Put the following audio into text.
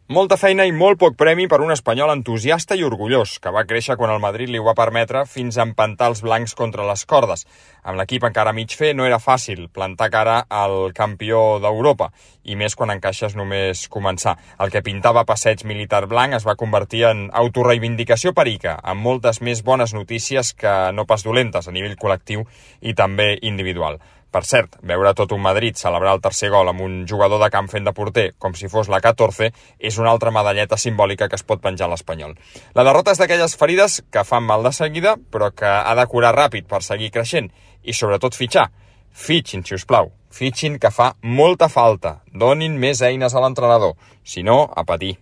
Molta feina i molt poc premi per un espanyol entusiasta i orgullós, que va créixer quan el Madrid li ho va permetre fins a empantar els blancs contra les cordes. Amb l'equip encara mig fer no era fàcil plantar cara al campió d'Europa, i més quan encaixes només començar. El que pintava passeig militar blanc es va convertir en autorreivindicació perica, amb moltes més bones notícies que no pas dolentes a nivell col·lectiu i també individual. Per cert, veure tot un Madrid celebrar el tercer gol amb un jugador de camp fent de porter com si fos la 14 és una altra medalleta simbòlica que es pot penjar a l'Espanyol. La derrota és d'aquelles ferides que fan mal de seguida, però que ha de curar ràpid per seguir creixent i sobretot fitxar. Fitxin, si us plau. Fitxin, que fa molta falta. Donin més eines a l'entrenador. Si no, a patir.